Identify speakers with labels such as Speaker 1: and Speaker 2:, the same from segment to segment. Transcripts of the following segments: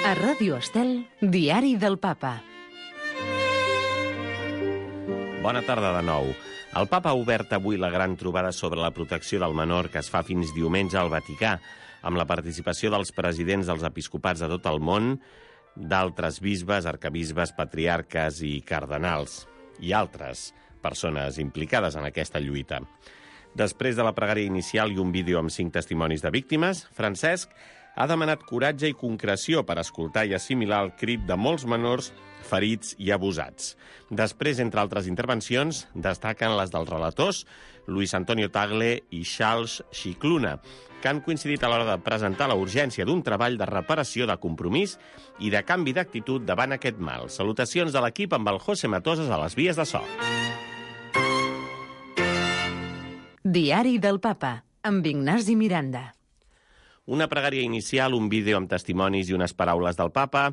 Speaker 1: A Ràdio Estel, Diari del Papa.
Speaker 2: Bona tarda de nou. El Papa ha obert avui la gran trobada sobre la protecció del menor que es fa fins diumenge al Vaticà, amb la participació dels presidents dels episcopats de tot el món, d'altres bisbes, arcabisbes, patriarques i cardenals, i altres persones implicades en aquesta lluita. Després de la pregària inicial i un vídeo amb 5 testimonis de víctimes, Francesc ha demanat coratge i concreció per escoltar i assimilar el crit de molts menors ferits i abusats. Després, entre altres intervencions, destaquen les dels relators Luis Antonio Tagle i Charles Scicluna, que han coincidit a l'hora de presentar la urgència d'un treball de reparació, de compromís i de canvi d'actitud davant aquest mal. Salutacions de l'equip amb el José Matosas a les vies de so.
Speaker 1: Diari del Papa, amb Ignasi Miranda.
Speaker 2: Una pregària inicial, un vídeo amb testimonis i unes paraules del Papa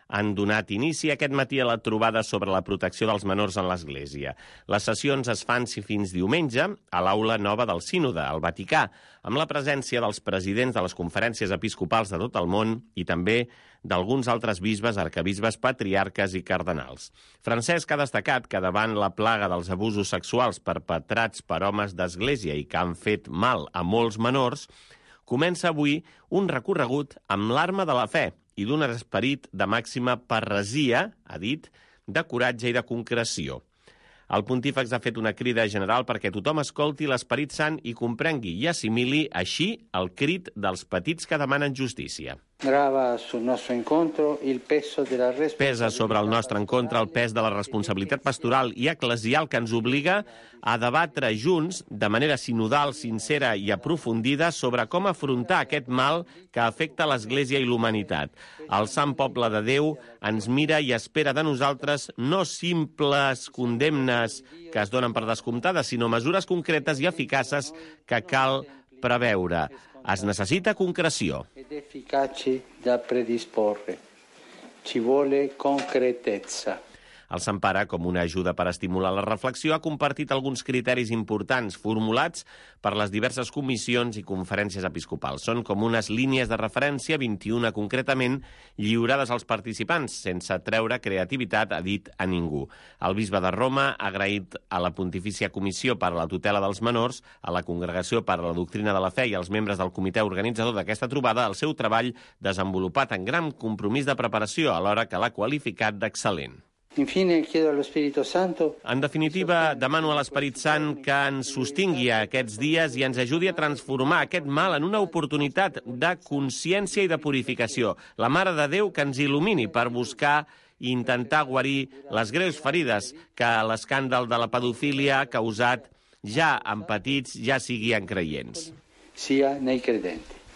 Speaker 2: han donat inici aquest matí a la trobada sobre la protecció dels menors en l'Església. Les sessions es fan fins diumenge a l'aula nova del Sínode, al Vaticà, amb la presència dels presidents de les conferències episcopals de tot el món i també d'alguns altres bisbes, arcabisbes, patriarques i cardenals. Francesc ha destacat que davant la plaga dels abusos sexuals perpetrats per homes d'Església i que han fet mal a molts menors, comença avui un recorregut amb l'arma de la fe i d'un esperit de màxima parresia, ha dit, de coratge i de concreció. El pontífex ha fet una crida general perquè tothom escolti l'Esperit Sant i comprengui i assimili així el crit dels petits que demanen justícia.
Speaker 3: Pesa
Speaker 2: sobre el nostre encontre el pes de la responsabilitat pastoral i eclesial que ens obliga a debatre junts, de manera sinodal, sincera i aprofundida, sobre com afrontar aquest mal que afecta l'Església i l'humanitat. El sant poble de Déu ens mira i espera de nosaltres no simples condemnes que es donen per descomptades, sinó mesures concretes i eficaces que cal preveure. Es necessita concreció.
Speaker 3: Ed efficaci da predisporre. Ci vuole concretezza.
Speaker 2: El Sant Pare, com una ajuda per estimular la reflexió, ha compartit alguns criteris importants formulats per les diverses comissions i conferències episcopals. Són com unes línies de referència, 21 concretament, lliurades als participants, sense treure creativitat, ha dit a ningú. El bisbe de Roma ha agraït a la Pontifícia Comissió per a la Tutela dels Menors, a la Congregació per a la Doctrina de la Fe i als membres del comitè organitzador d'aquesta trobada el seu treball desenvolupat en gran compromís de preparació, alhora que l'ha qualificat d'excel·lent.
Speaker 3: Infine chiedo allo Spirito Santo.
Speaker 2: En definitiva, demano a l'Esperit Sant que ens sostingui aquests dies i ens ajudi a transformar aquest mal en una oportunitat de consciència i de purificació. La Mare de Déu que ens il·lumini per buscar i intentar guarir les greus ferides que l'escàndol de la pedofília ha causat ja en petits, ja sigui en creients.
Speaker 3: Sia nei credenti.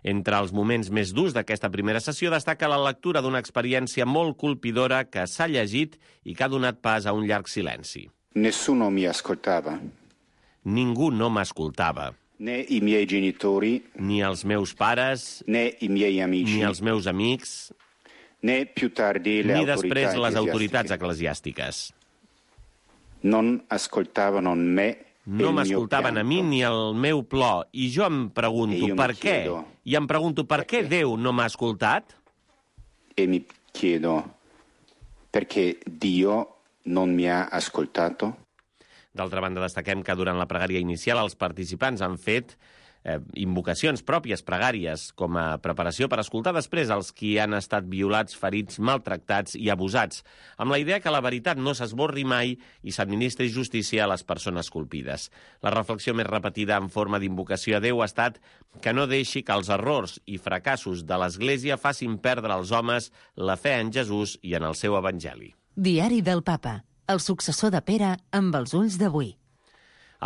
Speaker 2: Entre els moments més durs d'aquesta primera sessió destaca la lectura d'una experiència molt colpidora que s'ha llegit i que ha donat pas a un llarg silenci.
Speaker 4: Nessuno mi ascoltava.
Speaker 2: Ningú no m'escoltava.
Speaker 4: Né i miei genitori,
Speaker 2: ni els meus pares,
Speaker 4: né i miei amici,
Speaker 2: ni els meus amics,
Speaker 4: né più tardi le
Speaker 2: ni
Speaker 4: autorità
Speaker 2: després les autoritats
Speaker 4: eclesiastiche.
Speaker 2: eclesiàstiques.
Speaker 4: Non ascoltavano me.
Speaker 2: No m'escoltaven a mi ni el meu plor. I jo em pregunto per què. I em pregunto per què Déu no m'ha escoltat?
Speaker 4: E mi chiedo perché Dio non mi ha ascoltato?
Speaker 2: D'altra banda, destaquem que durant la pregària inicial els participants han fet invocacions pròpies, pregàries, com a preparació per escoltar després els qui han estat violats, ferits, maltractats i abusats, amb la idea que la veritat no s'esborri mai i s'administri justícia a les persones colpides. La reflexió més repetida en forma d'invocació a Déu ha estat que no deixi que els errors i fracassos de l'Església facin perdre als homes la fe en Jesús i en el seu Evangeli.
Speaker 1: Diari del Papa, el successor de Pere amb els ulls d'avui.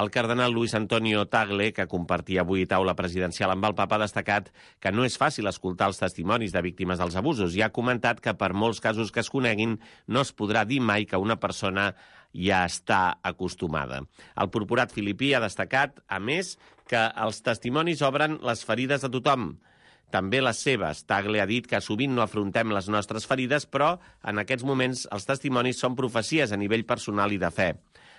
Speaker 2: El cardenal Luis Antonio Tagle, que compartia avui taula presidencial amb el Papa, ha destacat que no és fàcil escoltar els testimonis de víctimes dels abusos i ha comentat que per molts casos que es coneguin no es podrà dir mai que una persona ja està acostumada. El purpurat filipí ha destacat, a més, que els testimonis obren les ferides de tothom, també les seves. Tagle ha dit que sovint no afrontem les nostres ferides, però en aquests moments els testimonis són profecies a nivell personal i de fe.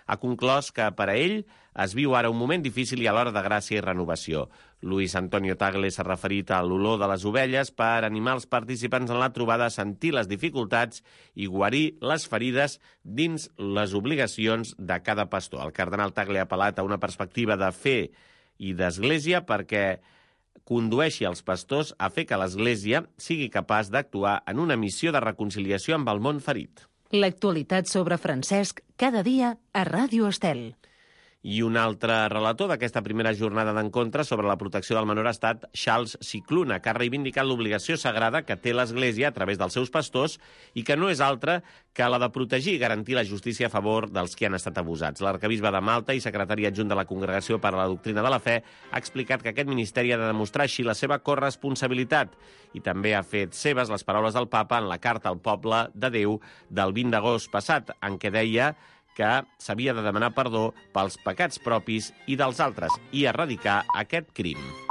Speaker 2: Ha conclòs que per a ell es viu ara un moment difícil i alhora de gràcia i renovació. Luis Antonio Tagle s'ha referit a l'olor de les ovelles per animar els participants en la trobada a sentir les dificultats i guarir les ferides dins les obligacions de cada pastor. El cardenal Tagle ha apel·lat a una perspectiva de fe i d'església perquè condueixi els pastors a fer que l'Església sigui capaç d'actuar en una missió de reconciliació amb el món ferit.
Speaker 1: L'actualitat sobre Francesc cada dia a Ràdio Estel.
Speaker 2: I un altre relator d'aquesta primera jornada d'encontre sobre la protecció del menor ha estat Charles Cicluna, que ha reivindicat l'obligació sagrada que té l'Església a través dels seus pastors i que no és altra que la de protegir i garantir la justícia a favor dels que han estat abusats. L'arquebisbe de Malta i secretari adjunt de la Congregació per a la Doctrina de la Fe ha explicat que aquest ministeri ha de demostrar així la seva corresponsabilitat i també ha fet seves les paraules del papa en la carta al poble de Déu del 20 d'agost passat, en què deia que s'havia de demanar perdó pels pecats propis i dels altres i erradicar aquest crim.